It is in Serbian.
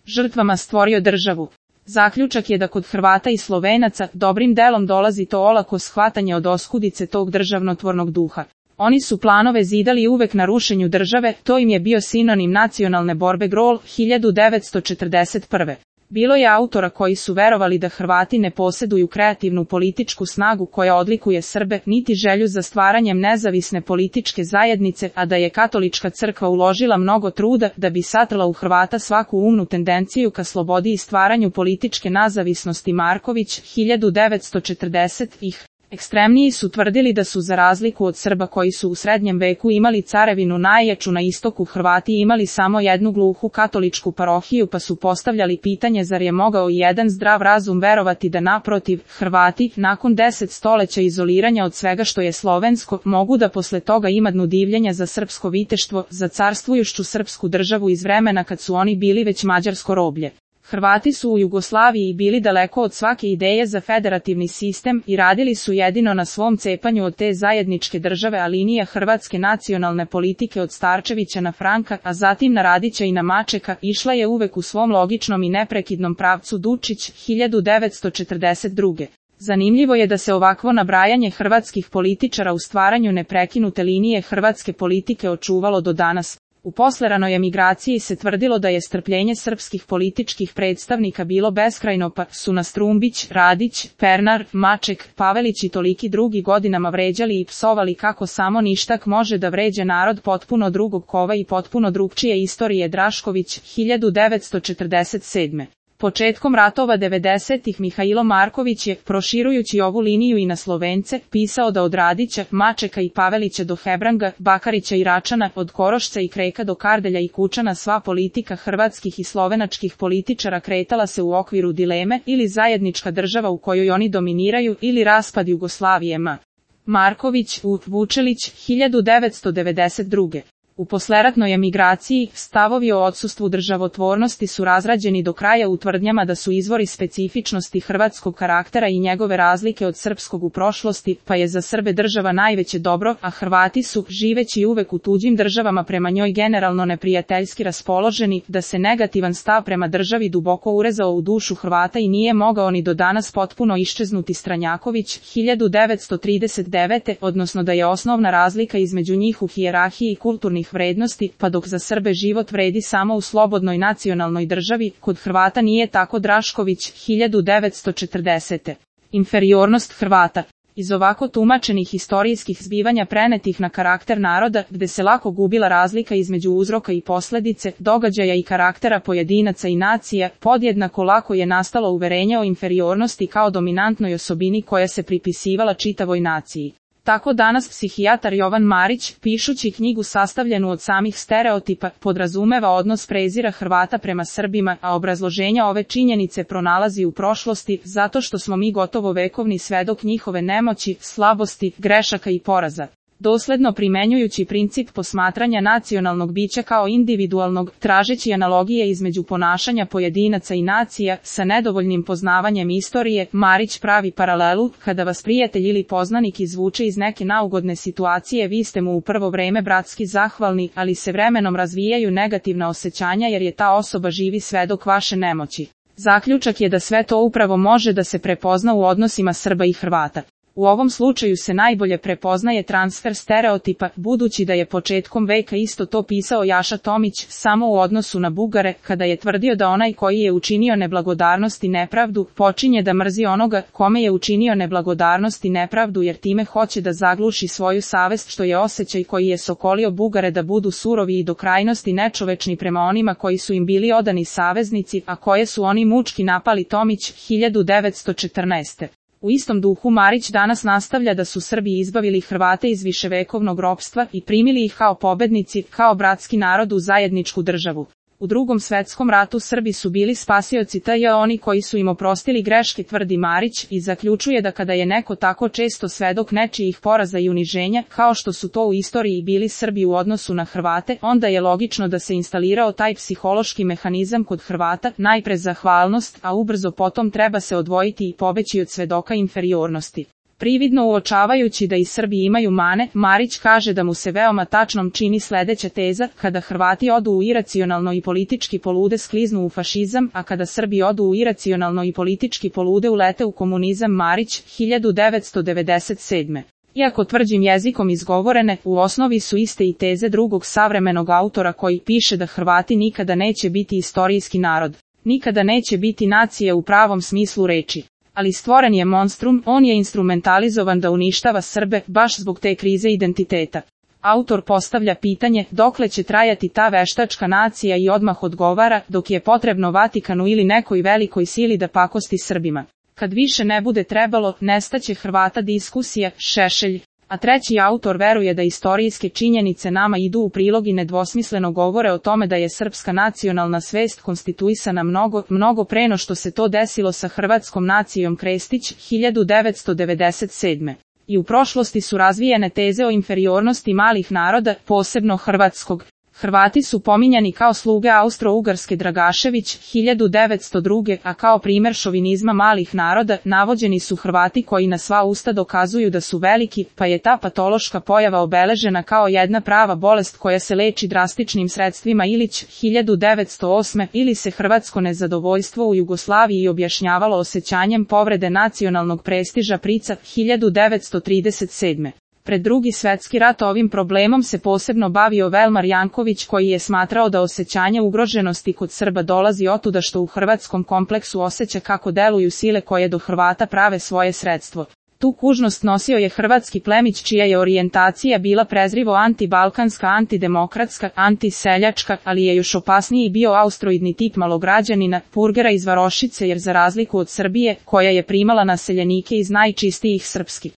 žrtvama stvorio državu. Zaključak je da kod Hrvata i Slovenaca dobrim delom dolazi to olako shvatanje od oskudice tog državnotvornog duha. Oni su planove zidali uvek na rušenju države, to im je bio sinonim nacionalne borbe GROL 1941. Bilo je autora koji su verovali da Hrvati ne poseduju kreativnu političku snagu koja odlikuje Srbe, niti želju za stvaranjem nezavisne političke zajednice, a da je katolička crkva uložila mnogo truda da bi satrla u Hrvata svaku umnu tendenciju ka slobodi i stvaranju političke nezavisnosti. Marković, 1940-ih. Ekstremniji su tvrdili da su za razliku od Srba koji su u srednjem veku imali carevinu najjaču na istoku, Hrvati imali samo jednu gluhu katoličku parohiju, pa su postavljali pitanje zar je mogao i jedan zdrav razum verovati da naprotiv, Hrvati, nakon 10 stoleća izoliranja od svega što je slovensko, mogu da posle toga imadnu divljenja za srpsko viteštvo, za carstvujušću srpsku državu iz vremena kad su oni bili već mađarsko roblje. Hrvati su u Jugoslaviji bili daleko od svake ideje za federativni sistem i radili su jedino na svom cepanju od te zajedničke države, a linija hrvatske nacionalne politike od Starčevića na Franka, a zatim na Radića i na Mačeka, išla je uvek u svom logičnom i neprekidnom pravcu. Dučić, 1942. Zanimljivo je da se ovakvo nabrajanje hrvatskih političara u stvaranju neprekinute linije hrvatske politike očuvalo do danas. U posleranoj emigraciji se tvrdilo da je strpljenje srpskih političkih predstavnika bilo beskrajno, pa su nas Trumbić, Radić, Pernar, Maček, Pavelić i toliki drugi godinama vređali i psovali kako samo ništak može da vređa narod potpuno drugog kova i potpuno drugčije istorije. Drašković, 1947. Početkom ratova 90-ih Mihailo Marković je, proširujući ovu liniju i na Slovence, pisao da od Radića, Mačeka i Pavelića do Hebranga, Bakarića i Račana, od Korošca i Kreka do Kardelja i Kučana sva politika hrvatskih i slovenačkih političara kretala se u okviru dileme ili zajednička država u kojoj oni dominiraju ili raspad Jugoslavije. Marković, Vučelić, 1992. U posleratnoj emigraciji, stavovi o odsustvu državotvornosti su razrađeni do kraja u tvrdnjama da su izvori specifičnosti hrvatskog karaktera i njegove razlike od srpskog u prošlosti, pa je za Srbe država najveće dobro, a Hrvati su, živeći uvek u tuđim državama prema njoj generalno neprijateljski raspoloženi, da se negativan stav prema državi duboko urezao u dušu Hrvata i nije mogao ni do danas potpuno iščeznuti. Stranjaković, 1939. odnosno da je osnovna razlika između njih u hijerarhiji kulturnih vrednosti, pa dok za Srbe život vredi samo u slobodnoj nacionalnoj državi, kod Hrvata nije tako. Drašković, 1940. Inferiornost Hrvata. Iz ovako tumačenih historijskih zbivanja prenetih na karakter naroda, gde se lako gubila razlika između uzroka i posledice, događaja i karaktera pojedinaca i nacija, podjednako lako je nastalo uverenje o inferiornosti kao dominantnoj osobini koja se pripisivala čitavoj naciji. Tako danas psihijatar Jovan Marić, pišući knjigu sastavljenu od samih stereotipa, podrazumeva odnos prezira Hrvata prema Srbima, a obrazloženja ove činjenice pronalazi u prošlosti, zato što smo mi gotovo vekovni svedok njihove nemoći, slabosti, grešaka i poraza. Dosledno primenjujući princip posmatranja nacionalnog bića kao individualnog, tražeći analogije između ponašanja pojedinaca i nacija, sa nedovoljnim poznavanjem istorije, Marić pravi paralelu, kada vas prijatelj ili poznanik izvuče iz neke neugodne situacije, vi ste mu u prvo vreme bratski zahvalni, ali se vremenom razvijaju negativna osjećanja jer je ta osoba živi svedok vaše nemoći. Zaključak je da sve to upravo može da se prepozna u odnosima Srba i Hrvata. U ovom slučaju se najbolje prepoznaje transfer stereotipa, budući da je početkom veka isto to pisao Jaša Tomić, samo u odnosu na Bugare, kada je tvrdio da onaj koji je učinio neblagodarnost i nepravdu, počinje da mrzi onoga kome je učinio neblagodarnost i nepravdu, jer time hoće da zagluši svoju savest, što je osjećaj koji je sokolio Bugare da budu surovi i do krajnosti nečovečni prema onima koji su im bili odani saveznici, a koje su oni mučki napali. Tomić, 1914. U istom duhu Marić danas nastavlja da su Srbi izbavili Hrvate iz viševekovnog ropstva i primili ih kao pobednici, kao bratski narod u zajedničku državu. U Drugom svetskom ratu Srbi su bili spasioci tj. oni koji su im oprostili greške, tvrdi Marić, i zaključuje da kada je neko tako često svedok nečijih poraza i uniženja, kao što su to u istoriji bili Srbi u odnosu na Hrvate, onda je logično da se instalirao taj psihološki mehanizam kod Hrvata, najpre zahvalnost, a ubrzo potom treba se odvojiti i pobeći od svedoka inferiornosti. Prividno uočavajući da i Srbi imaju mane, Marić kaže da mu se veoma tačnom čini sledeća teza: kada Hrvati odu u iracionalno i politički polude skliznu u fašizam, a kada Srbi odu u iracionalno i politički polude ulete u komunizam. Marić, 1997. Iako tvrđim jezikom izgovorene, u osnovi su iste i teze drugog savremenog autora koji piše da Hrvati nikada neće biti istorijski narod, nikada neće biti nacija u pravom smislu reči. Ali stvoren je monstrum, on je instrumentalizovan da uništava Srbe, baš zbog te krize identiteta. Autor postavlja pitanje, dokle će trajati ta veštačka nacija, i odmah odgovara, dok je potrebno Vatikanu ili nekoj velikoj sili da pakosti Srbima. Kad više ne bude trebalo, nestaće Hrvata. Diskusija, Šešelj. A treći autor veruje da istorijske činjenice nama idu u prilog i nedvosmisleno govore o tome da je srpska nacionalna svest konstituisana mnogo pre no što se to desilo sa hrvatskom nacijom. Krestić, 1997. I u prošlosti su razvijene teze o inferiornosti malih naroda, posebno hrvatskog. Hrvati su pominjani kao sluge Austro-Ugarske. Dragašević, 1902. A kao primer šovinizma malih naroda, navođeni su Hrvati koji na sva usta dokazuju da su veliki, pa je ta patološka pojava obeležena kao jedna prava bolest koja se leči drastičnim sredstvima. Ilić, 1908. Ili se hrvatsko nezadovoljstvo u Jugoslaviji objašnjavalo osjećanjem povrede nacionalnog prestiža. Prica, 1937. Pred Drugi svetski rat ovim problemom se posebno bavio Velmar Janković, koji je smatrao da osjećanje ugroženosti kod Srba dolazi otuda što u hrvatskom kompleksu osjeća kako deluju sile koje do Hrvata prave svoje sredstvo. Tu kužnost nosio je hrvatski plemić čija je orijentacija bila prezrivo antibalkanska, antidemokratska, antiseljačka, ali je još opasniji bio austroidni tip malograđanina, purgera iz Varošice, jer za razliku od Srbije, koja je primala naseljenike iz najčistijih srpskih